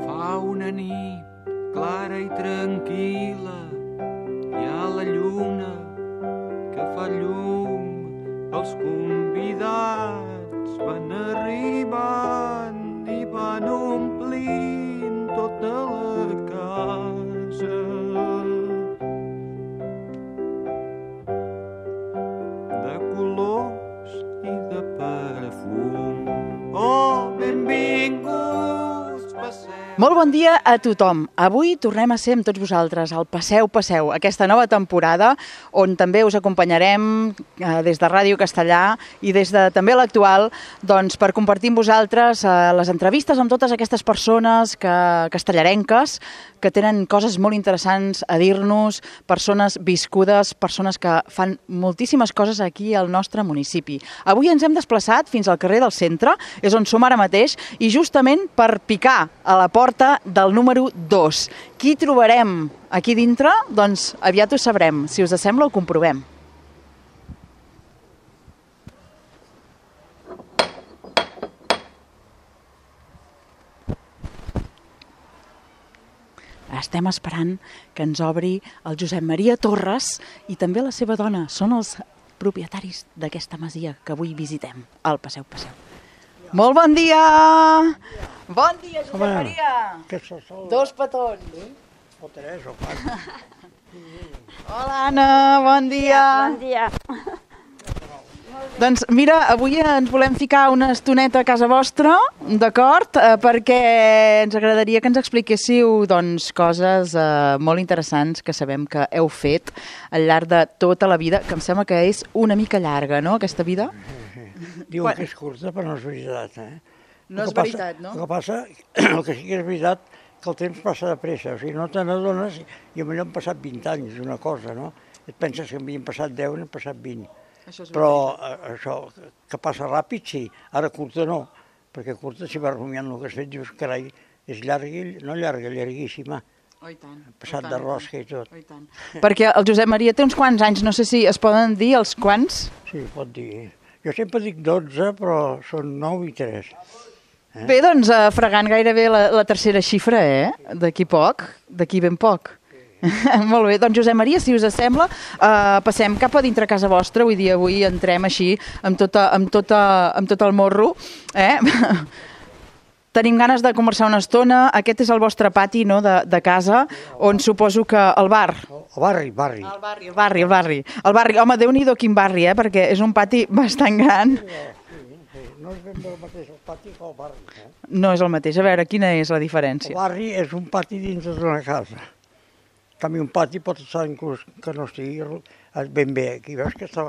Fa una nit clara i tranquil·la, hi ha la lluna que fa llum, els convidats van arribant i van omplint tota la casa. De colors i de perfum. Oh, benvinguts, passeu. Molt bon dia a tothom. Avui tornem a ser amb tots vosaltres al Passeu, Passeu, aquesta nova temporada on també us acompanyarem des de Ràdio Castellà i des de també l'actual doncs, per compartir amb vosaltres les entrevistes amb totes aquestes persones castellarenques que tenen coses molt interessants a dir-nos, persones viscudes, persones que fan moltíssimes coses aquí al nostre municipi. Avui ens hem desplaçat fins al carrer del Centre, és on som ara mateix, i justament per picar a la porta del número 2. Qui trobarem aquí dintre? Doncs aviat ho sabrem. Si us sembla, ho comprovem. Estem esperant que ens obri el Josep Maria Torres i també la seva dona. Són els propietaris d'aquesta masia que avui visitem, al Passeu, Passeu. Molt bon dia! Bon dia, Josep Maria! Dos petons. O tres o quatre. Hola, Anna, bon dia! Bon dia. Doncs mira, avui ens volem ficar una estoneta a casa vostra, d'acord? Perquè ens agradaria que ens expliquéssiu doncs, coses molt interessants que sabem que heu fet al llarg de tota la vida, que em sembla que és una mica llarga, no?, aquesta vida? Diuen que és curta, però no és veritat, No és veritat, no? El que passa, el que sí que és veritat, que el temps passa de pressa, o sigui, no te n'adones i potser han passat 20 anys d'una cosa, no? Et penses que havien passat 10 i n'han passat 20. Però això, que passa ràpid, sí. Ara curta no, perquè curta si vas rumiant el que has fet, dius, carai, és llarga, no llarga, llarguíssima. Oh, i tant. Passat de rosca i tot. Oh, i tant. Perquè el Josep Maria té uns quants anys, no sé si es poden dir els quants? Sí, pot dir. Jo sempre dic 12, però són 9 i 3. Bé, doncs, fregant gairebé la tercera xifra, d'aquí poc, d'aquí ben poc. Molt bé, doncs Josep Maria, si us sembla, passem cap a dintre casa vostra, vull dir, avui entrem així amb tot el morro, Tenim ganes de conversar una estona. Aquest és el vostre pati, no?, de casa, on suposo que el bar... El barri. El barri. Home, Déu-n'hi-do quin barri, perquè és un pati bastant gran. Sí. No és ben bé el mateix el pati que el barri. No és el mateix. A veure, quina és la diferència? El barri és un pati dins d'una casa. En canvi, un pati pot estar inclús que no estigui ben bé. Aquí veus que està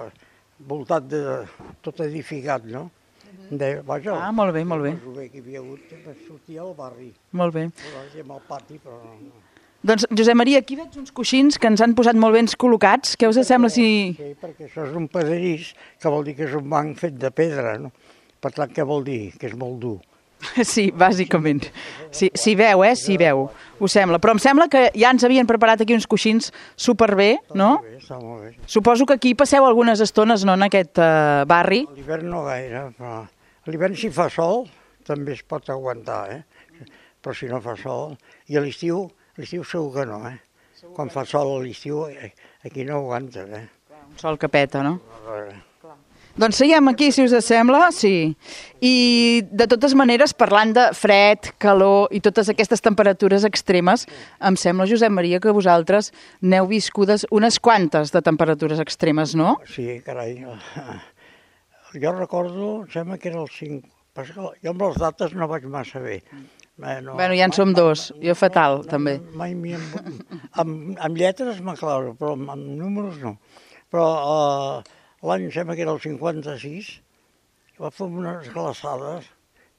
voltat de tot edificat, no? Vaja, molt bé, molt bé. Que hi havia hagut, sortia al barri. Molt bé. Amb el pati, però no. Doncs, Josep Maria, aquí veig uns coixins que ens han posat molt ben col·locats. Què us sembla si... Sí, perquè això és un pedrís, que vol dir que és un banc fet de pedra, no? Per tant, què vol dir? Que és molt dur. Sí, bàsicament. Sí, s'hi veu, s'hi veu, ho sembla. Però em sembla que ja ens havien preparat aquí uns coixins superbé, no? Està molt bé. Suposo que aquí passeu algunes estones, no?, en aquest barri. A l'hivern no gaire, però a l'hivern si fa sol també es pot aguantar, però si no fa sol... I a l'estiu segur que no, Quan fa sol a l'estiu aquí no aguanta, Un sol que peta, no? Doncs seguim aquí, si us sembla, sí. I, de totes maneres, parlant de fred, calor i totes aquestes temperatures extremes, em sembla, Josep Maria, que vosaltres n'heu viscudes unes quantes de temperatures extremes, no? Sí, carai. Jo recordo, em sembla que era el 5... Jo amb les dates no vaig massa bé. Bueno, ja en som dos. Jo fatal, també. Mai amb lletres m'aclaro, però amb números no. Però... L'any, em sembla que era el 56, va fer unes glaçades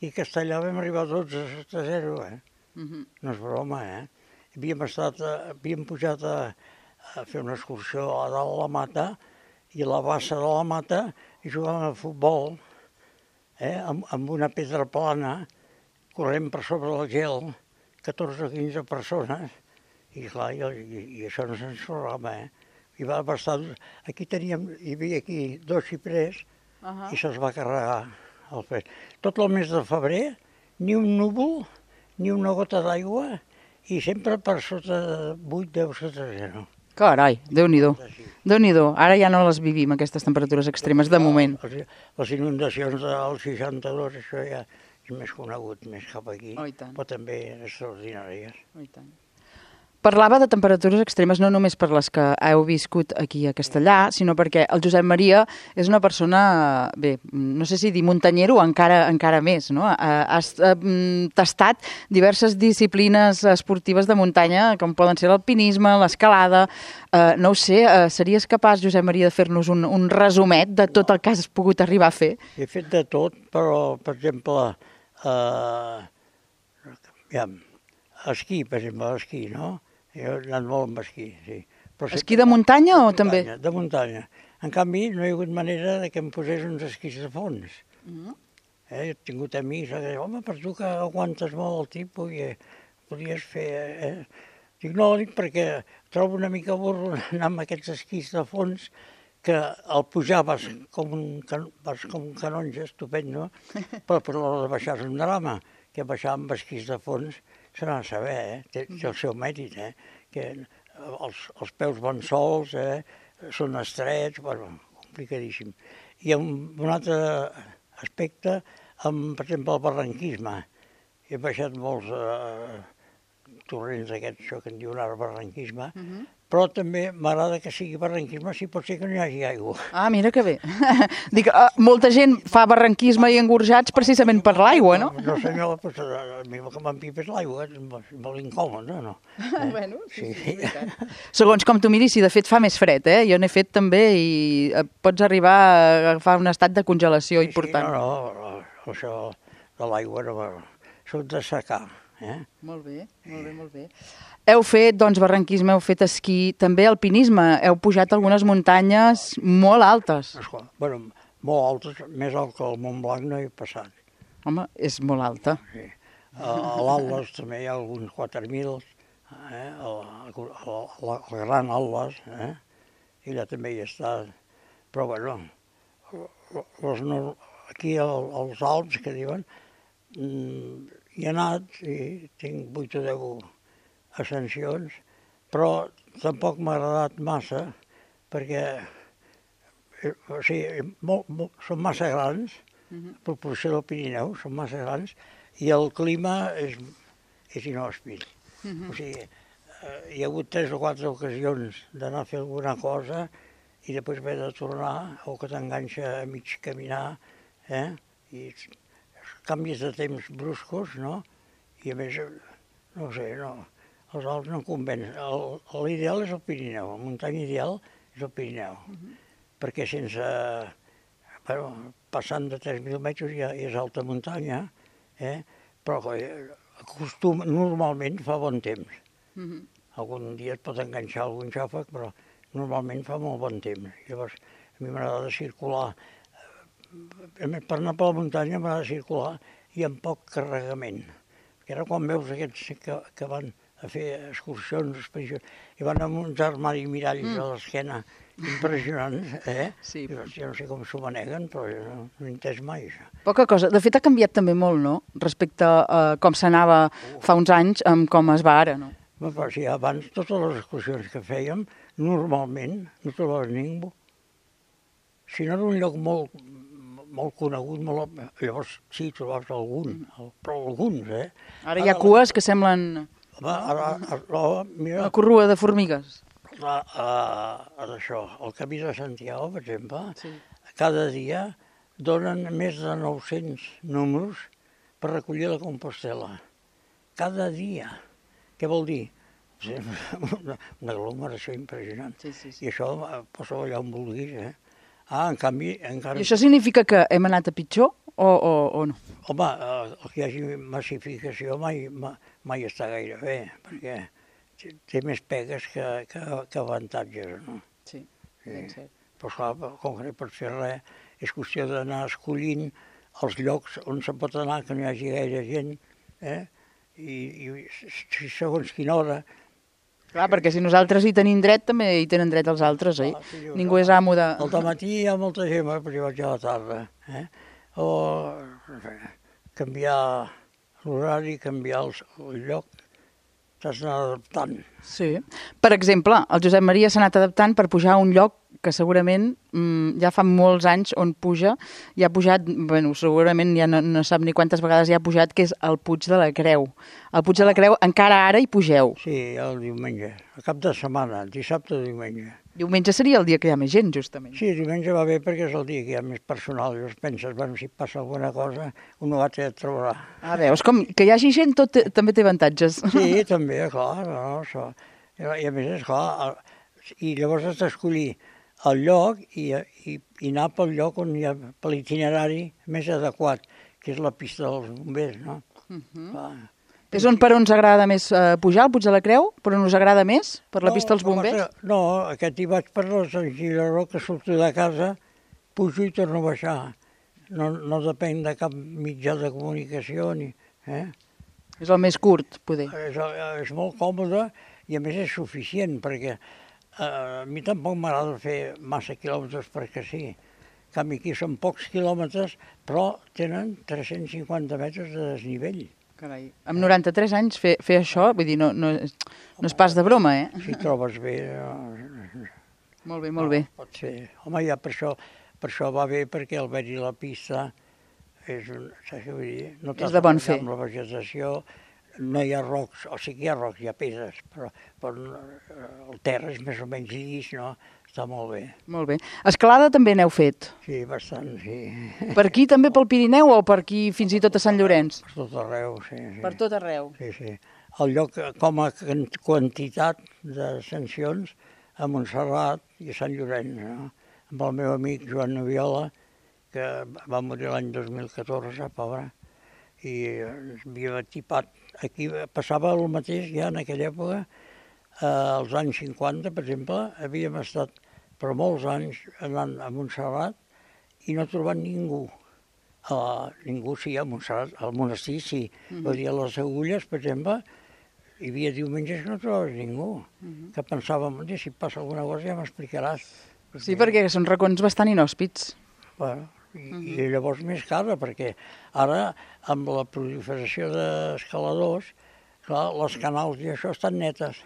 i a Castellà vam arribar a 12-0, No és broma, Havíem pujat a fer una excursió a dalt a la Mata i a la bassa de la Mata i jugàvem a futbol amb una pedra plana, corrent per sobre el gel, 14 o 15 persones, i clar, i això no se'ns sorrava, I va estar... Aquí hi havia aquí 2 xiprers i se'ls va carregar el fred. Tot el mes de febrer, ni un núvol, ni una gota d'aigua i sempre per sota de 8, 10 sota 0. Carai, Déu-n'hi-do. Déu-n'hi-do. Ara ja no les vivim, aquestes temperatures extremes, de moment. Les inundacions del 62, això ja és més conegut, més cap aquí, Oh, i tant. però també extraordinàries. Oh, i tant. Parlava de temperatures extremes no només per les que heu viscut aquí a Castellà, sinó perquè el Josep Maria és una persona, bé, no sé si dir muntanyero o encara més, no? Has tastat diverses disciplines esportives de muntanya, com poden ser l'alpinisme, l'escalada. No ho sé, series capaç, Josep Maria, de fer-nos un resumet de tot el que has pogut arribar a fer? He fet de tot, però, per exemple, esquí, per exemple, esquí, no? Jo he anat molt amb esquí, sí. Esquí de muntanya o també? De muntanya. En canvi, no hi ha hagut manera de que em posés uns esquís de fons. He tingut amics que deien, home, per tu que aguantes molt el tipus i podries fer... Dic, no, perquè trobo una mica burro anar amb aquests esquís de fons que al pujar vas com un canonge estupendo, però per l'hora de baixar és un drama, que baixar amb esquís de fons se n'ha de saber, té el seu mèrit, que els peus van sols, són estrets, bueno, complicadíssim. I un altre aspecte, per exemple, el barranquisme. He baixat molts torrents d'aquests, això que en diuen ara barranquisme, però també m'agrada que sigui barranquisme si pot ser que no hi hagi aigua. Ah, mira que bé. Dic, molta gent fa barranquisme i engorjats precisament per l'aigua, no? No senyor, doncs, a mi el que m'empipa és l'aigua, és molt incòmode, no? Bueno, sí, segons com tu miris, sí, de fet fa més fred, eh? Jo n'he fet també i pots arribar a agafar un estat de congelació important. No, això de l'aigua no va... Soc de secar, Molt bé, molt bé, molt bé. Heu fet, doncs, barranquisme, heu fet esquí, també alpinisme, heu pujat algunes muntanyes molt altes. Bueno, molt altes, més alt que el Montblanc no he passat. Home, és molt alta. Sí. A l'Atlas també hi ha alguns 4.000, el Gran Atlas, i allà també hi està. Però, bueno, aquí als Alps, que diuen, hi he anat i tinc 8 o 10 ascensions, però tampoc m'ha agradat massa perquè són massa grans, a proporció del Pirineu, són massa grans, i el clima és inhòspit. O sigui, hi ha hagut 3 o 4 ocasions d'anar a fer alguna cosa i després haver de tornar o que t'enganxa a mig caminar, i canvis de temps bruscos, no? I a més, no sé, els Alps no em convencen. L'ideal és el Pirineu, la muntanya ideal és el Pirineu, perquè sense... passant de 3.000 metres ja és alta muntanya, però normalment fa bon temps. Algun dia et pot enganxar algun xàfec, però normalment fa molt bon temps. Llavors, a mi m'agrada circular. Per anar per la muntanya m'agrada circular i amb poc carregament. Perquè ara quan veus aquests que van a fer excursions, expedicions, i van amb uns armaris miralls a l'esquena impressionants, Sí. Jo no sé com s'ho maneguen, però jo no he entès mai això. Poca cosa. De fet, ha canviat també molt, no?, respecte a com s'anava fa uns anys amb com es va ara, no? Però sí, abans totes les excursions que fèiem, normalment no trobaves ningú. Si no era un lloc molt conegut, llavors sí, trobaves algun, però alguns, Ara hi ha cues que semblen Mira, una corrua de formigues. Això, el Camí de Santiago, per exemple, cada dia donen més de 900 números per recollir la Compostela. Cada dia. Què vol dir? Una aglomeració impressionant. I això posa allà on vulguis, en canvi... I això significa que hem anat a pitjor o no? Home, que hi hagi massificació mai està gaire bé, perquè té més pegues que avantatges, no? Sí, ben cert. Però clar, com que no pots fer res, és qüestió d'anar escollint els llocs on se pot anar, que no hi hagi gaire gent, i segons quina hora. Clar, perquè si nosaltres hi tenim dret, també hi tenen dret els altres, oi? Ningú és amo de... Al dematí hi ha molta gent, però jo vaig a la tarda. O canviar l'horari, canviar el lloc, t'has d'anar adaptant. Sí. Per exemple, el Josep Maria s'ha anat adaptant per pujar a un lloc que segurament ja fa molts anys on puja, i ha pujat, bueno, segurament ja no sap ni quantes vegades ja ha pujat, que és el Puig de la Creu. El Puig de la Creu encara ara hi pugeu. Sí, el diumenge, a cap de setmana, dissabte o diumenge. Diumenge seria el dia que hi ha més gent, justament. Sí, diumenge va bé perquè és el dia que hi ha més personal. Llavors penses, bueno, si passa alguna cosa, un no et trobarà. Ah, veus, com que hi hagi gent també té avantatges. Sí, també, clar, no, això. I a més, esclar, i llavors has d'escollir el lloc i anar pel lloc on hi ha, per l'itinerari més adequat, que és la pista dels bombers, no? És per on us agrada més pujar, al Puig de la Creu? Per on us agrada més? Per la pista dels bombers? No, aquest hi vaig per la Sant Giraró, que surto de casa, pujo i torno a baixar. No depèn de cap mitjà de comunicació ni... És el més curt, poder. És molt còmode i a més és suficient, perquè a mi tampoc m'agrada fer massa quilòmetres perquè sí. En canvi, aquí són pocs quilòmetres, però tenen 350 metres de desnivell. Carai, amb 93 anys fer això, vull dir, no és pas de broma, eh? Si trobes bé... Molt bé, molt bé. Pot ser. Home, ja per això va bé, perquè al haver-hi la pista és de bon fer. Amb la vegetació no hi ha rocs, o sigui que hi ha rocs, hi ha pedres, però el terra és més o menys llis, no? Està molt bé. Molt bé. Escalada també n'heu fet? Sí, bastant, sí. Per aquí també pel Pirineu o per aquí fins i tot a Sant Llorenç? Per tot arreu, sí. Per tot arreu? Sí, sí. El lloc com a quantitat de sancions a Montserrat i a Sant Llorenç, no? Amb el meu amic Joan Noviola, que va morir l'any 2014, pobre, i havia tipat. Aquí passava el mateix ja en aquella època, als anys 50, per exemple, havíem estat per molts anys anant a Montserrat i no trobant ningú. Ningú sí, a Montserrat, al monestir sí. Vull dir, a les Agulles, per exemple, hi havia diumenges que no trobaves ningú. Que pensàvem, si passa alguna cosa ja m'explicaràs. Sí, perquè són racons bastant inhòspits. Bueno, i llavors més cara, perquè ara, amb la proliferació d'escaladors, clar, les canals i això estan netes.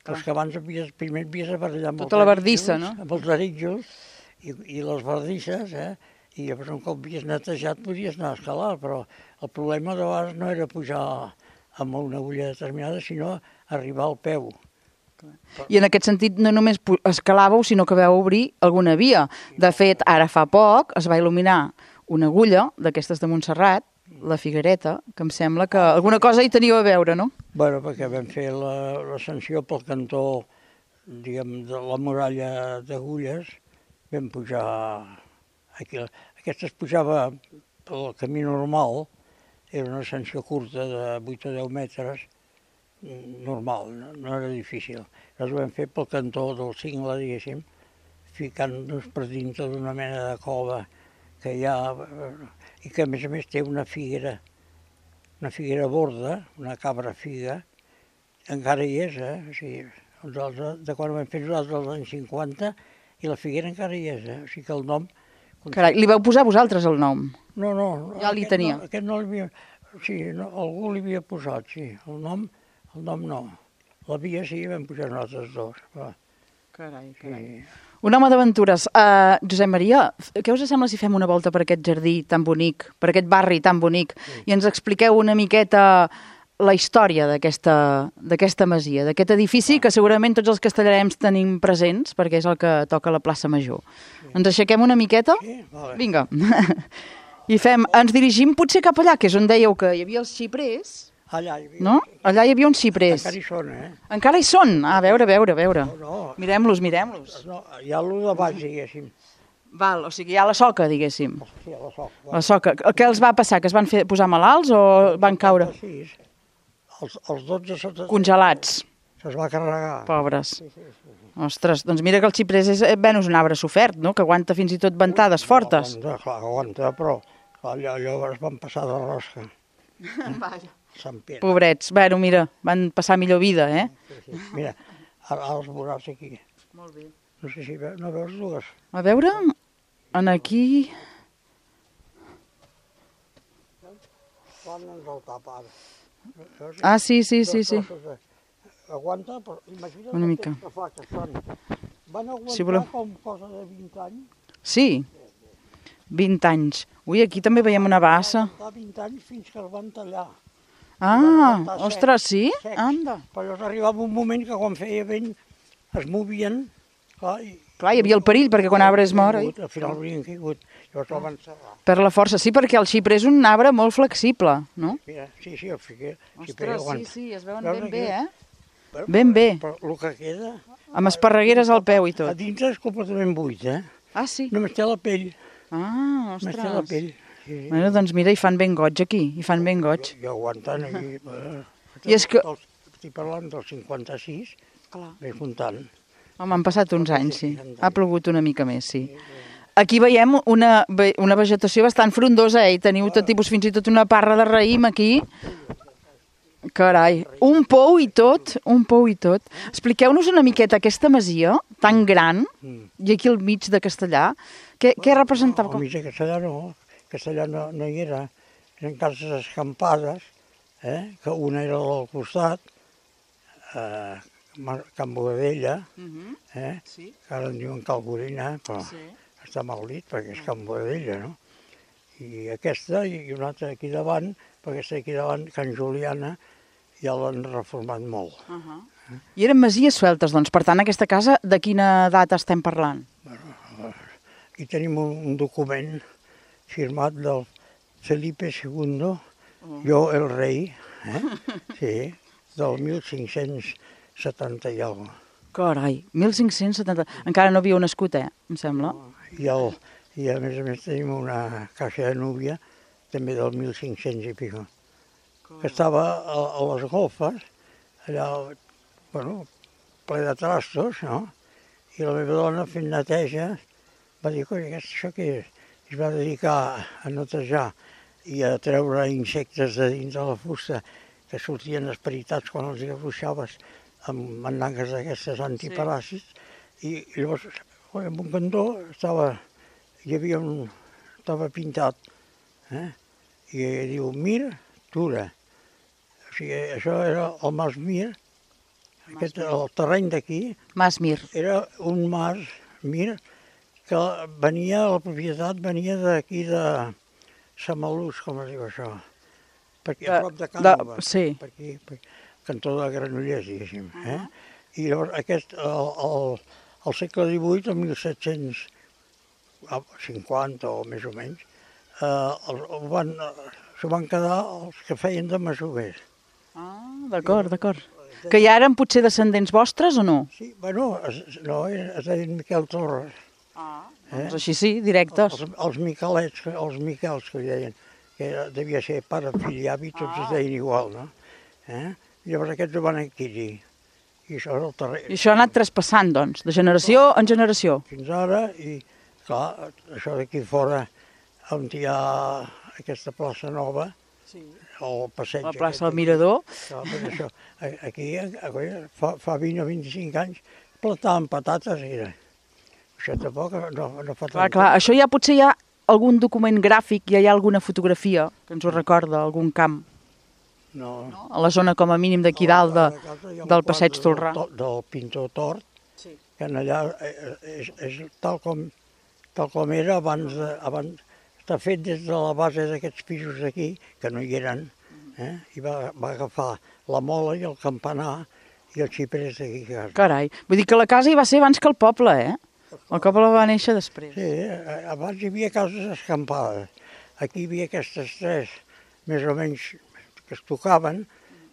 Però és que abans primer havies de barallar amb tota la bardissa, no? Amb els arítjols i les bardisses, i llavors un cop havies netejat podies anar a escalar, però el problema de vegades no era pujar amb una agulla determinada, sinó arribar al peu. I en aquest sentit no només escalàveu, sinó que vau obrir alguna via. De fet, ara fa poc es va il·luminar una agulla d'aquestes de Montserrat, la Figuereta, que em sembla que alguna cosa hi teniu a veure, no? Bueno, perquè vam fer l'ascensió pel cantó, diguem, de la muralla d'Agulles, vam pujar aquí. Aquesta es pujava pel camí normal, era una ascensió curta de 8 o 10 metres, normal, no era difícil. Llavors ho vam fer pel cantó del cingle, diguéssim, ficant-nos per dintre d'una mena de cova que hi ha, i que a més té una figuera borda, una cabra figa, encara hi és, O sigui, de quan ho vam fer nosaltres als anys 50, i la figuera encara hi és, O sigui que el nom... Carai, li vau posar vosaltres el nom? No. Ja li tenia? Aquest no l'havia... Sí, algú li havia posat, sí. El nom no. La via sí, vam posar nosaltres dos. Carai. Sí. Un home d'aventures. Josep Maria, què us sembla si fem una volta per aquest jardí tan bonic, per aquest barri tan bonic, i ens expliqueu una miqueta la història d'aquesta masia, d'aquest edifici que segurament tots els castellarencs tenim presents, perquè és el que toca a la plaça Major. Ens aixequem una miqueta? Sí, vale. Vinga. I ens dirigim potser cap allà, que és on dèieu que hi havia els xiprers. Allà hi havia... No? Allà hi havia uns xiprers. Encara hi són, Encara hi són? A veure. No. Mirem-los. No, hi ha l'un de baix, diguéssim. Val, o sigui, hi ha la soca, diguéssim. Sí, la soca. La soca. Què els va passar? Que es van posar malalts o van caure? Sí, els 12 sota... Congelats. Se'ls va carregar. Pobres. Sí. Ostres, doncs mira que el xiprers és un arbre sofert, no? Que aguanta fins i tot ventades fortes. Aguanta, però llavors van passar de rosca. Vaja. Sant Pere. Pobrets. Bueno, mira, van passar millor vida, Sí. Mira, ara els veuràs aquí. Molt bé. No sé si no veus dues. A veure, aquí... Quan ens el tapa ara. Ah, sí. Aguanta, però imagina't Una mica. que fa que són. Van aguantar Si voleu. com cosa de 20 anys. Sí, 20 anys. Ui, aquí també veiem una bassa. Van aguantar 20 anys fins que els van tallar. Ah, ostres, sí? Secs. Anda. Però llavors arribava un moment que quan feia vent es movien, clar, Clar, hi havia el perill, perquè quan arbre es mor... Al final haurien caigut, llavors el van serrar. Per la força, sí, perquè el xiprer és un arbre molt flexible, no? Mira, sí, el fiquer. Ostres, sí, es veuen ben bé, eh? Però, Ben bé. Però el que queda... Amb esparregueres al peu i A tot. dintre és completament buit, eh? Ah, sí? Només té la pell. Ah, Només té la ostres. pell. Sí. Bueno, doncs mira, hi fan ben goig aquí, hi fan ben goig. I aguantant aquí. I és que- Estic parlant del 56, Clar. bé comptant. Home, han passat uns anys, sí. Ha plogut una mica més, sí. Aquí veiem una vegetació bastant frondosa, i teniu tot tipus, fins i tot una parra de raïm aquí. Carai, un pou i tot, un pou i tot. Expliqueu-nos una miqueta aquesta masia tan gran, i aquí al mig de Castellar, què representava? Al mig de Castellà no, Castellà no hi era. Eren cases escampades, que una era al costat, Can Boadella, Sí. que ara en diuen Calgorina, però està mal dit perquè és Can Boadella, no? I aquesta i una altra aquí davant, perquè aquesta aquí davant, Can Juliana, ja l'han reformat molt. I eren masies sueltes, doncs. Per tant, aquesta casa, de quina data estem parlant? Aquí tenim un document firmat del Felipe II, jo el rei, sí, del 1570 i alguna cosa. Carai, 1570... Encara no havíeu nascut, em sembla. I a més tenim una caixa de núvia, també del 1500 i pico, que estava a les golfes, allà, bueno, ple de trastos, no? I la meva dona fent neteja va dir, coi, això què és? I es va dedicar a netejar i a treure insectes de dins de la fusta que sortien esperitats quan els afluixaves amb mandangues d'aquestes antiparàsits. I llavors, en un cantó estava pintat, i diu Mir Tura. O sigui, això era el Mas Mir, el terreny d'aquí Mas Mir. era un mas Mir que venia, la propietat venia d'aquí de Samalús, com es diu això, perquè a prop de Cànova, sí. per aquí, cantó de Granollers, diguéssim. I llavors aquest, al segle XVIII, el 1750 o més o menys, s'ho van quedar els que feien de masovers. Ah, d'acord. Que ja eren potser descendents vostres o no? Sí, bueno, no, es deien Miquel Torres. Doncs així sí, directes. Els Miquelets, els Miquels que deien, que devia ser pare, fill i avi, tots es deien igual, no? Llavors aquests ho van adquirir. I això és el terreny. I això ha anat traspassant, doncs, de generació en generació. Fins ara, i clar, això d'aquí fora, on hi ha aquesta plaça nova, el passeig... La plaça del Mirador. Clar, això, aquí, fa 20 o 25 anys, plantaven patates, era. Això tampoc no fa tant. Clar, això ja potser hi ha algun document gràfic, ja hi ha alguna fotografia que ens ho recorda, algun camp. No. A la zona com a mínim d'aquí dalt del passeig Tolrà. Del pintor Tort, que allà és tal com era abans. Està fet des de la base d'aquests pisos d'aquí, que no hi eren, i va agafar la mola i el campanar i els xiprers d'aquí. Carai, vull dir que la casa hi va ser abans que el poble, El poble va néixer després. Sí, abans hi havia cases escampades. Aquí hi havia aquestes tres, més o menys, que es tocaven,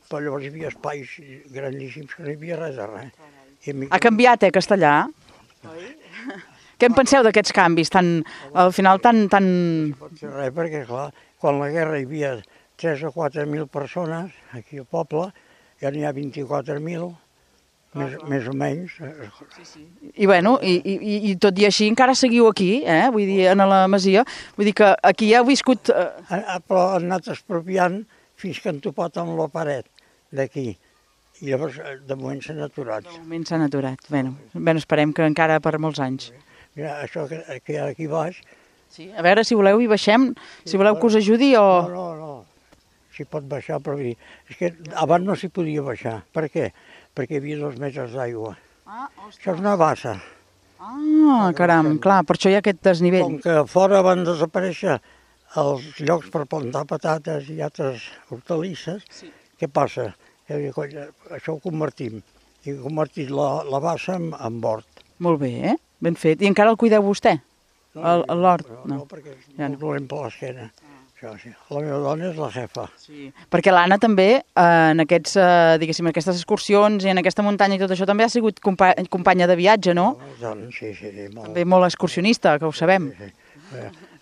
però llavors hi havia espais grandíssims que no hi havia res de res. Ha canviat, Castellà? Què en penseu d'aquests canvis, al final tan... No pot ser res, perquè clar, quan la guerra hi havia 3 o 4.000 persones, aquí al poble, ja n'hi ha 24.000, més o menys. I bueno, i tot i així encara seguiu aquí, vull dir, en la masia, vull dir que aquí ja heu viscut... Però han anat expropiant fins que han topat amb la paret d'aquí. I llavors, de moment s'han aturat. De moment s'han aturat. Bé, esperem que encara per molts anys. Mira, això que hi ha aquí baix... Sí, a veure, si voleu hi baixem, si voleu que us ajudi o... No. s'hi pot baixar, però vull dir, és que abans no s'hi podia baixar. Per què? Perquè hi havia 2 metres d'aigua. Això és una bassa. Ah, caram, clar, per això hi ha aquest desnivell. Com que fora van desaparèixer els llocs per plantar patates i altres hortalisses, què passa? Això ho convertim. I he convertit la bassa en hort. Molt bé, ben fet. I encara el cuideu vostè, l'hort? No, perquè és molt dolent per l'esquena. Això sí. La meva dona és la jefa. Sí. Perquè l'Anna també, en aquests, diguéssim, aquestes excursions i en aquesta muntanya i tot això, també ha sigut companya de viatge, no? Sí, molt. També molt excursionista, que ho sabem. Sí.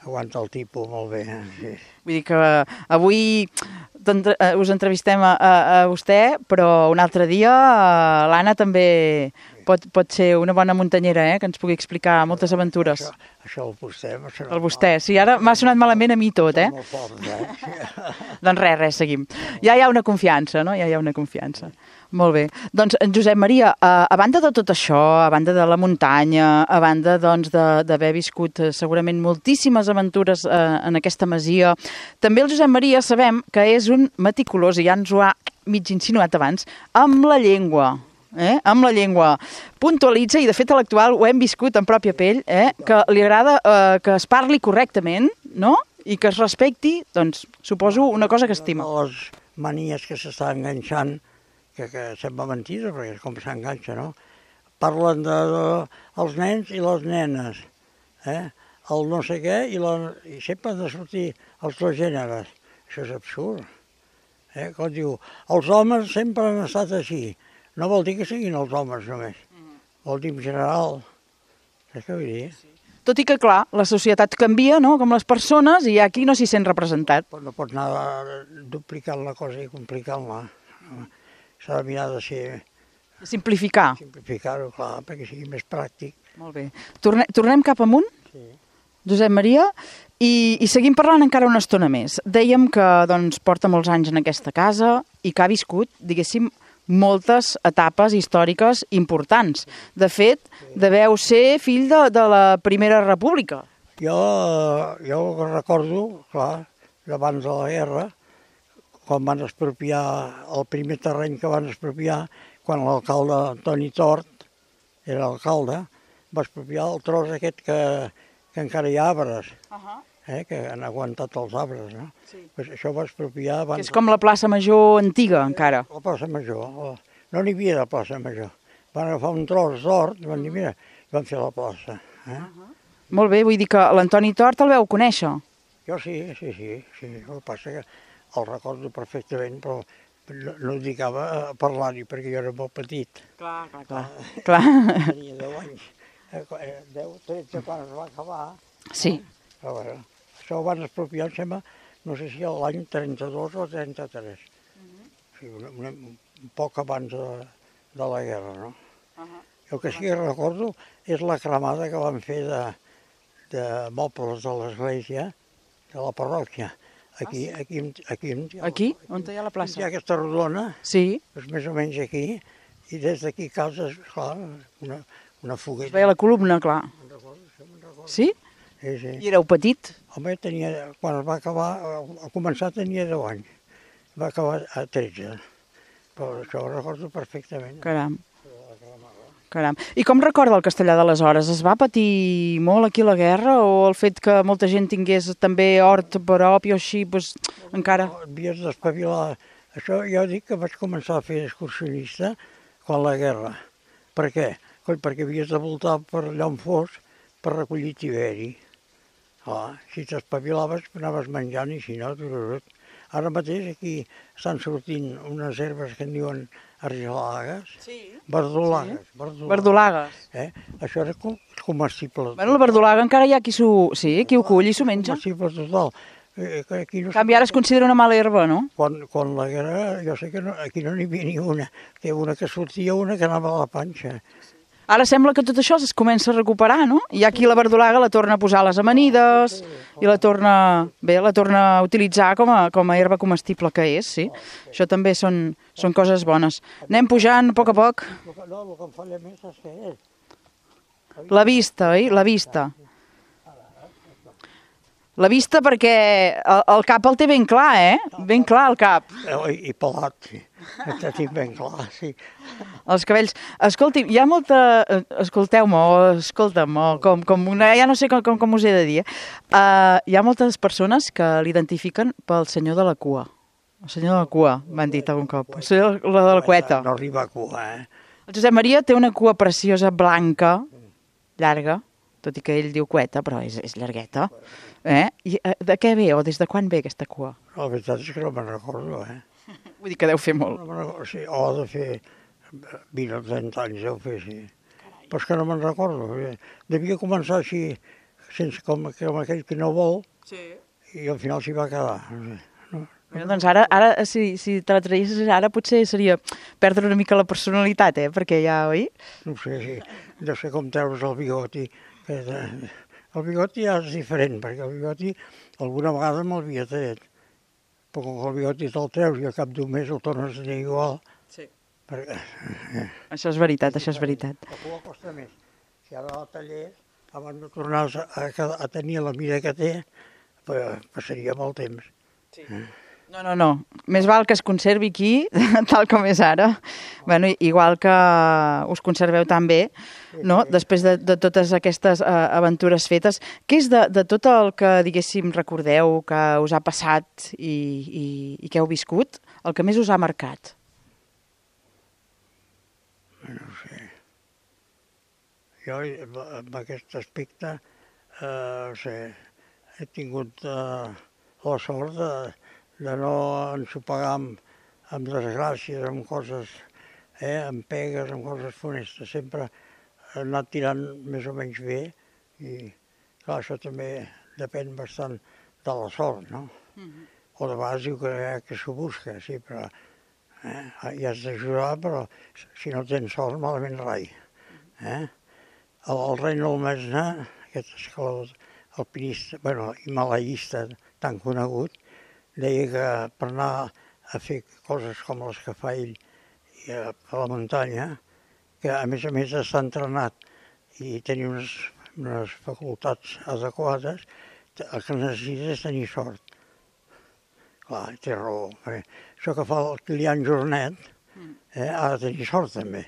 Aguanta el tipus molt bé. Sí. Vull dir que avui us entrevistem a vostè, però un altre dia l'Anna també pot ser una bona muntanyera, que ens pugui explicar moltes aventures. Això el vostè. El vostè, sí, ara m'ha sonat malament a mi tot, Molt fort, Doncs res, seguim. Ja hi ha una confiança, no? Ja hi ha una confiança. Molt bé. Doncs, Josep Maria, a banda de tot això, a banda de la muntanya, a banda doncs, d'haver viscut segurament moltíssimes aventures en aquesta masia, també el Josep Maria sabem que és un meticulós, i ja ens ho ha mig insinuat abans, amb la llengua. Amb la llengua. Puntualitza, i de fet a l'actual ho hem viscut en pròpia pell, que li agrada que es parli correctament, no? I que es respecti, doncs, suposo, una cosa que estima. Les manies que s'està enganxant, que sembla mentida, perquè és com s'enganxa, no? Parlen dels nens i les nenes, el no sé què, i sempre han de sortir els 2 gèneres. Això és absurd. Com diu, els homes sempre han estat així. No vol dir que siguin els homes només, vol dir en general. Saps què vull dir? Tot i que, clar, la societat canvia, no?, com les persones, i aquí no s'hi sent representat. No pots anar duplicant la cosa i complicant-la. S'ha de mirar de ser... Simplificar. Simplificar-ho, clar, perquè sigui més pràctic. Molt bé. Tornem cap amunt, Josep Maria, i seguim parlant encara una estona més. Dèiem que doncs, porta molts anys en aquesta casa i que ha viscut, diguéssim, moltes etapes històriques importants. De fet, deveu ser fill de la Primera República. Jo recordo, clar, abans de la guerra, quan van expropiar el primer terreny que van expropiar, quan l'alcalde Antoni Tort era alcalde, va expropiar el tros aquest que encara hi ha arbres, que han aguantat els arbres, no? Pues això va expropiar abans... És com la plaça Major antiga, encara. La plaça Major. No n'hi havia de plaça Major. Van agafar un tros d'hort i van dir, mira, van fer la plaça. Molt bé, vull dir que l'Antoni Tort el veu conèixer. Jo sí. El que passa que el recordo perfectament, però no ho dedicava a parlar-hi perquè jo era molt petit. Clar. Tenia 10 anys. 13 quan es va acabar. Sí. Però bueno, això ho van expropiar, em sembla, no sé si l'any 32 o 33. O sigui, un poc abans de la guerra, no? El que sí que recordo és la cremada que van fer de mobles de l'església, de la parròquia. Aquí, on hi ha la plaça? Hi ha aquesta rodona, sí. És més o menys aquí, i des d'aquí causa, clar, una foguera. Es veia la columna, clar. Me'n recordo. Sí? Sí. I éreu petit? Home, quan es va acabar, a començar tenia 10 anys, va acabar a 13, però això ho recordo perfectament. Caram. I com recorda el castellà d'aleshores? Es va patir molt aquí la guerra o el fet que molta gent tingués també hort propi o així, doncs encara... Havies d'espavilar. Això jo dic que vaig començar a fer excursionista quan la guerra. Per què? Perquè havies de voltar per allà on fos per recollir tiberi. Si t'espavilaves anaves menjant i si no... Ara mateix aquí estan sortint unes herbes que en diuen argelagues, verdolagues. Verdolagues. Això era comestible. Bueno, la verdolaga encara hi ha qui ho cull i s'ho menja. Comestible total. En canvi, ara es considera una mala herba, no? Quan la guerra, jo sé que aquí no n'hi havia ni una. Que una que sortia, una que anava a la panxa. Ara sembla que tot això es comença a recuperar, no? I aquí la verdolaga la torna a posar a les amanides i la torna a utilitzar com a herba comestible que és, sí. Això també són coses bones. Anem pujant a poc. No, el que em falla més és que és. La vista, oi? La vista. La vista perquè el cap el té ben clar, Ben clar el cap. I pelat, sí. El tinc ben clar, sí. Els cabells. Escolti, hi ha molta... Escolteu-me, o escolta'm, o com una... Ja no sé com us he de dir. Hi ha moltes persones que l'identifiquen pel senyor de la cua. El senyor de la cua, m'han dit algun cop. El senyor de la cueta. No arriba a cua, El Josep Maria té una cua preciosa, blanca, llarga, tot i que ell diu cueta, però és llargueta. I de què ve, o des de quan ve aquesta cua? La veritat és que no me'n recordo, Vull dir que deu fer molt. Sí, o ha de fer 20 o 30 anys, deu fer, sí. Però és que no me'n recordo. Devia començar així, sense com aquell que no vol, i al final s'hi va quedar. Bueno, doncs ara si te la traguessis ara, potser seria perdre una mica la personalitat, perquè ja, oi? No sé, sí. Deu ser com treure's el bigoti. El bigoti ja és diferent, perquè el bigoti alguna vegada me'l havia tret. Però com que el bigoti te'l treus i al cap d'un mes el tornes a tenir igual. Sí. Perquè... Això és veritat, això és veritat. La cua costa més. Si ara la tallés, abans de tornar a tenir la mida que té, passaria molt temps. Sí. No. Més val que es conservi aquí, tal com és ara. Bueno, igual que us conserveu tan bé, no? Després de totes aquestes aventures fetes. Què és de tot el que, diguéssim, recordeu, que us ha passat i que heu viscut, el que més us ha marcat? No sé. Jo, en aquest aspecte, he tingut la sort de no ensopegar amb desgràcies, amb coses, amb pegues, amb coses funestes. Sempre he anat tirant més o menys bé i, clar, això també depèn bastant de la sort, no? O de vegades diu que s'ho busca, sí, però hi has d'ajudar, però si no tens sort, malament rai. El Reinhold Messner, aquest escalador alpinista, himalaista tan conegut, deia que per anar a fer coses com les que fa ell a la muntanya, que a més està entrenat i tenir unes facultats adequades, el que necessita és tenir sort. Clar, té raó. Això que fa el Kilian Jornet ha de tenir sort també.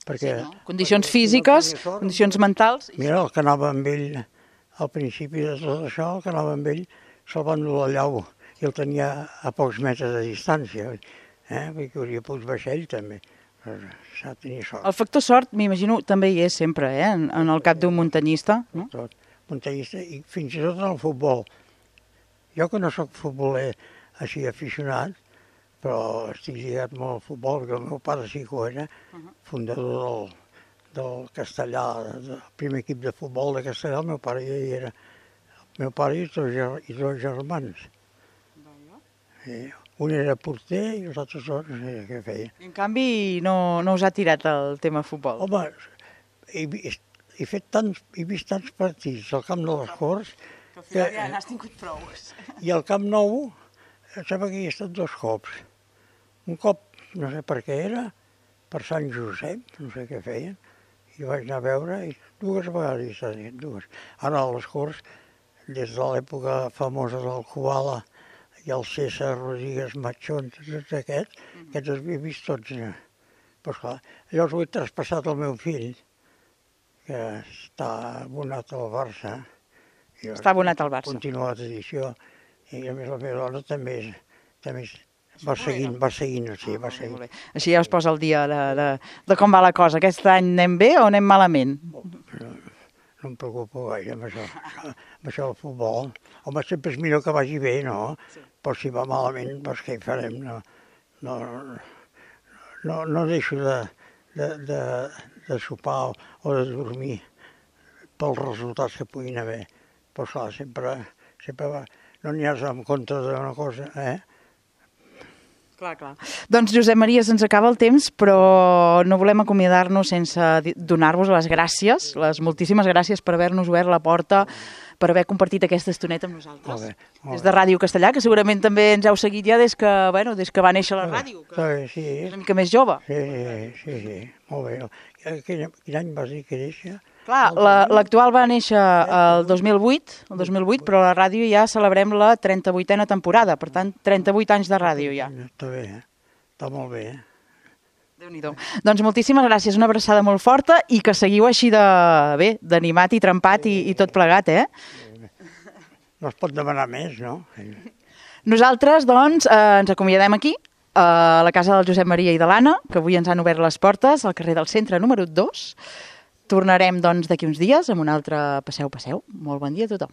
Perquè, condicions físiques, condicions mentals... Mira, el que anava amb ell al principi de tot això, el que anava amb ell se'l van dur al llau i el tenia a pocs metres de distància, perquè hauria pogut baixar ell també, però s'ha de tenir sort. El factor sort, m'imagino, també hi és sempre, en el cap d'un muntanyista, no? Tot, muntanyista i fins i tot en el futbol. Jo que no sóc futboler així aficionat, però estic lligat molt al futbol, perquè el meu pare sí que ho era, fundador del Castellà, del primer equip de futbol de Castellà, el meu pare ja hi era. El meu pare i dos germans. Un era porter i els altres dos no sé què feien. En canvi, no us ha tirat el tema futbol? Home, he vist tants partits al Camp de les Corts... Que al final ja n'has tingut prou. I al Camp Nou, em sembla que hi he estat 2 cops. Un cop, no sé per què era, per Sant Josep, no sé què feien, i vaig anar a veure, i 2 vegades hi he estat, 2. Ara a les Corts, des de l'època famosa del Kubala, i el César Rodríguez Machón, tots aquests els havia vist tots. Però esclar, llavors ho he traspassat al meu fill, que està abonat al Barça. Està abonat al Barça. Continua la tradició, i a més la meva dona també va seguint. Així ja us posa el dia de com va la cosa. Aquest any anem bé o anem malament? No em preocupo gaire amb això del futbol. Home, sempre és millor que vagi bé, no? Però si va malament, doncs què hi farem? No deixo de sopar o de dormir pels resultats que puguin haver. Però clar, sempre va... No n'hi has en compte d'una cosa, Clar. Doncs, Josep Maria, se'ns acaba el temps, però no volem acomiadar-nos sense donar-vos les gràcies, les moltíssimes gràcies per haver-nos obert la porta, per haver compartit aquesta estoneta amb nosaltres. Molt bé. Des de Ràdio Castellà, que segurament també ens heu seguit ja des que va néixer la ràdio, que és una mica més jove. Sí, molt bé. Quin any vas dir que néixer? Clar, l'actual va néixer el 2008, però la ràdio ja celebrem la 38a temporada, per tant, 38 anys de ràdio ja. Està bé, està molt bé. Déu-n'hi-do. Doncs moltíssimes gràcies, una abraçada molt forta i que seguiu així d'animat i trempat i tot plegat, No es pot demanar més, no? Nosaltres, doncs, ens acomiadem aquí, a la casa del Josep Maria i de l'Anna, que avui ens han obert les portes al carrer del Centre número 2. Tornarem, doncs, d'aquí uns dies amb un altre Passeu. Molt bon dia a tothom.